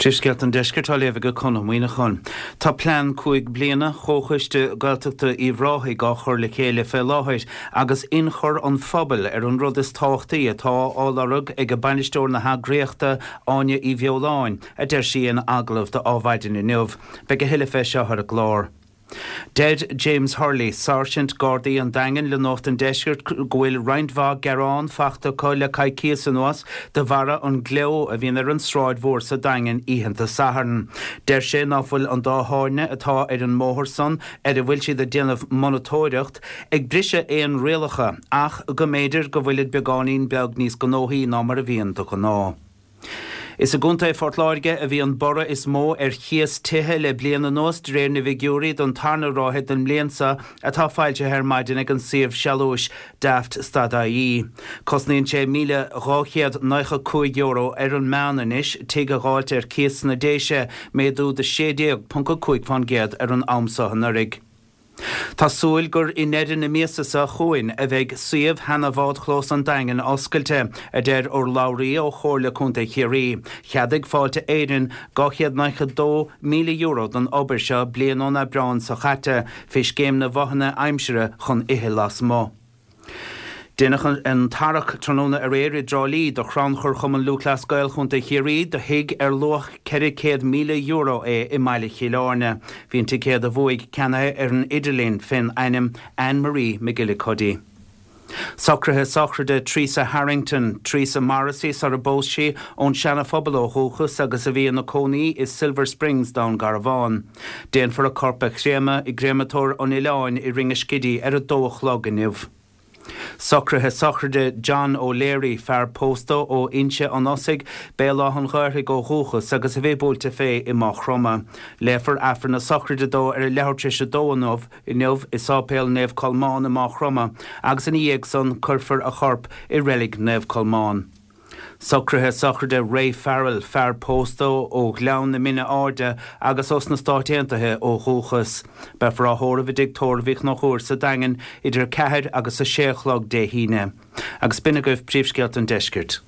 Príomhscéalta an Deiscirt á léamh ag Conn Ó Muíneacháin. Tá plean 5 bliana Chomhchoiste Gaeltachta Uíbh Ráthaigh á chur le chéile fé láthair agus ionchur an phobail ar an rud is tábhachtaí atá á lorg ag bainisteoir na heagraíochta Áine Uí Bheoláin, a deir sí in agallamh do Adhmhaidin inniu. Beidh a thuilleadh fé seo ar an gclár. Deir James Hurley, Sáirsint Gardaí an Daingin le Nuacht an Deiscirt go bhfuil roinnt mhaith gearán fachta acu le coicíos anuas de bharra an gleo a bhíonn ar an Sráid Mhór sa Daingean oícheanta Sathairn. Deir sé ná fuil an dá thábhairne atá ar an mbóthar san ar a bhfuil siad ag déanamh monatóireacht ag briseadh aon rialacha ach go mb'fhéidir go bhfuilid beagáinín beag níos gnóthaí ná mar a bhíonn de ghnáth. Is i gContae Phort Láirge a bhí an borradh is mó ar chíos tithe le bliain anuas de réir na bhfigiúirí don tarna ráithe den mbliain seo atá foilsithe ar maidin ag an suíomh sealúis Daft stad ie. Cosnaíonn sé €1,295 ar an meán anois tigh a dh'fháilt ar cíos sna Déise, méadú de 16.5% ar an am seo anuraidh. Tá súil gur i ndeireadh na míosa seo chugainn a bheidh suíomh sheana bhádchlós an Daingin oscailte, a deir urlabhraí ó Chomhairle Contae Chiarraí. Cheadaigh Fáilte Éireann €292,000 don obair seo bliain ón Aibreán seo chaite fé scéim na bhfothanna aimsire chun ithe lasmuigh. Deineadh an tarrac tráthnóna aréir i dTrá Lí do Chrannchur Chumann Lúthchleas Gael Chontae Chiarraí do thigh ar luach €400,000 é i mbaile Chill Airne. Bhí an ticéad a bhuaigh ceannaithe ar an idirlíon fén ainm Anne Marie McGillicuddy. Socruithe sochraide Teresa Harrington, Teresa Morrissey sara bpós sí, ón Seana Phobal ó dhúchas agus a bhí ina cónaí i Silver Springs, Dún Garbhán. Déanfar a corp a chréamadh i gCréamatóir an Oileáin i Ringaskiddy ar a dó a chlog inniu. Socruithe sochraide John O'Leary, fear pósta ó Inse an Osaigh, Béal Átha'n Ghaorthaidh ó dhúchas agus a bhí buailte fé i Maigh Chromtha. Léifear Aifreann na sochraide dó ar a leathuair tar éis a dó inniu i Sáipéal Naomh Colmán i Maigh Chromtha agus ina dhiaidh san cuirfear a chorp i Reilig Naomh Colmán. Socruithe sochraide Ray Farrell, fear pósta ó Ghleann na Mine Airde agus ós na Stáit Aontaithe ó dhúchas. Beifear á thórramh i dTigh Tórraimh Uí Chonchúir sa Daingean idir 4 agus 6 a chlog Dé hAoine. Agus b'in agaibh príomhscéalta an deiscirt.